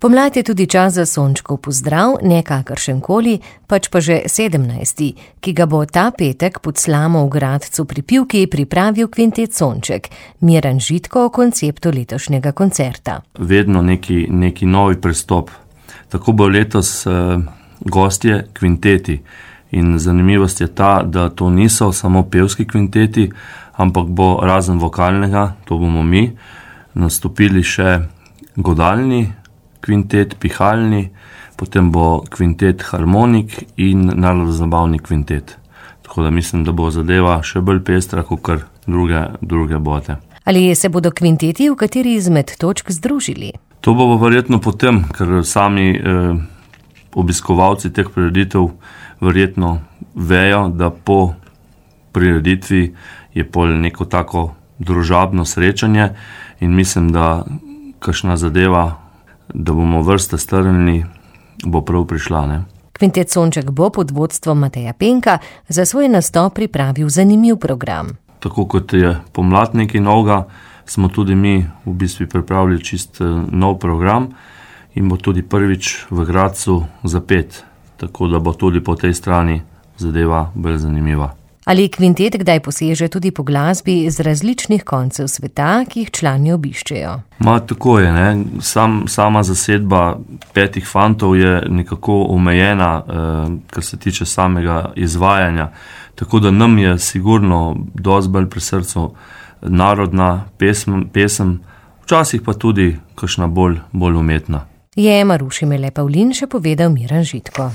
Pomlad je tudi čas za Sončkov pozdrav, ne kakršenkoli, pač pa že 17., ki ga bo ta petek pod slamo v Gradcu pri Pivki pripravil kvintet Sonček. Miran Žitko o konceptu letošnjega koncerta. Vedno neki novi pristop. Tako bo letos gostje kvinteti. In zanimivost je ta, da to niso samo pevski kvinteti, ampak bo razen vokalnega, to bomo mi, nastopili še godalni kvintet, pihalni, potem bo kvintet harmonik in narodno-zabavni kvintet. Tako da mislim, da bo zadeva še bolj pestra, kot druge bote. Ali se bodo kvinteti v kateri izmed točk združili? To bo verjetno potem, ker sami obiskovalci teh prireditev verjetno vejo, da po prireditvi je pol neko tako družabno srečanje in mislim, da kakšna zadeva, da bomo vrste strnili, bo prav prišla, ne? Kvintet Sonček bo pod vodstvom Mateja Penka za svoj nastop pripravil zanimiv program. Tako kot je pomlad nekaj novega, smo tudi mi v bistvu pripravili čist nov program in bo tudi prvič v Gradcu zapet, tako da bo tudi po tej strani zadeva bolj zanimiva. Ali kvintet kdaj poseže tudi po glasbi iz različnih koncev sveta, ki jih člani obiščejo? Tako je, ne. Sama zasedba 5 fantov je nekako omejena, kar se tiče samega izvajanja. Tako da nam je sigurno dosti bolj pri srcu narodna pesem, včasih pa tudi kakšna bolj umetna. Je Maruši Mele Pavlin še povedal Miran Žitko.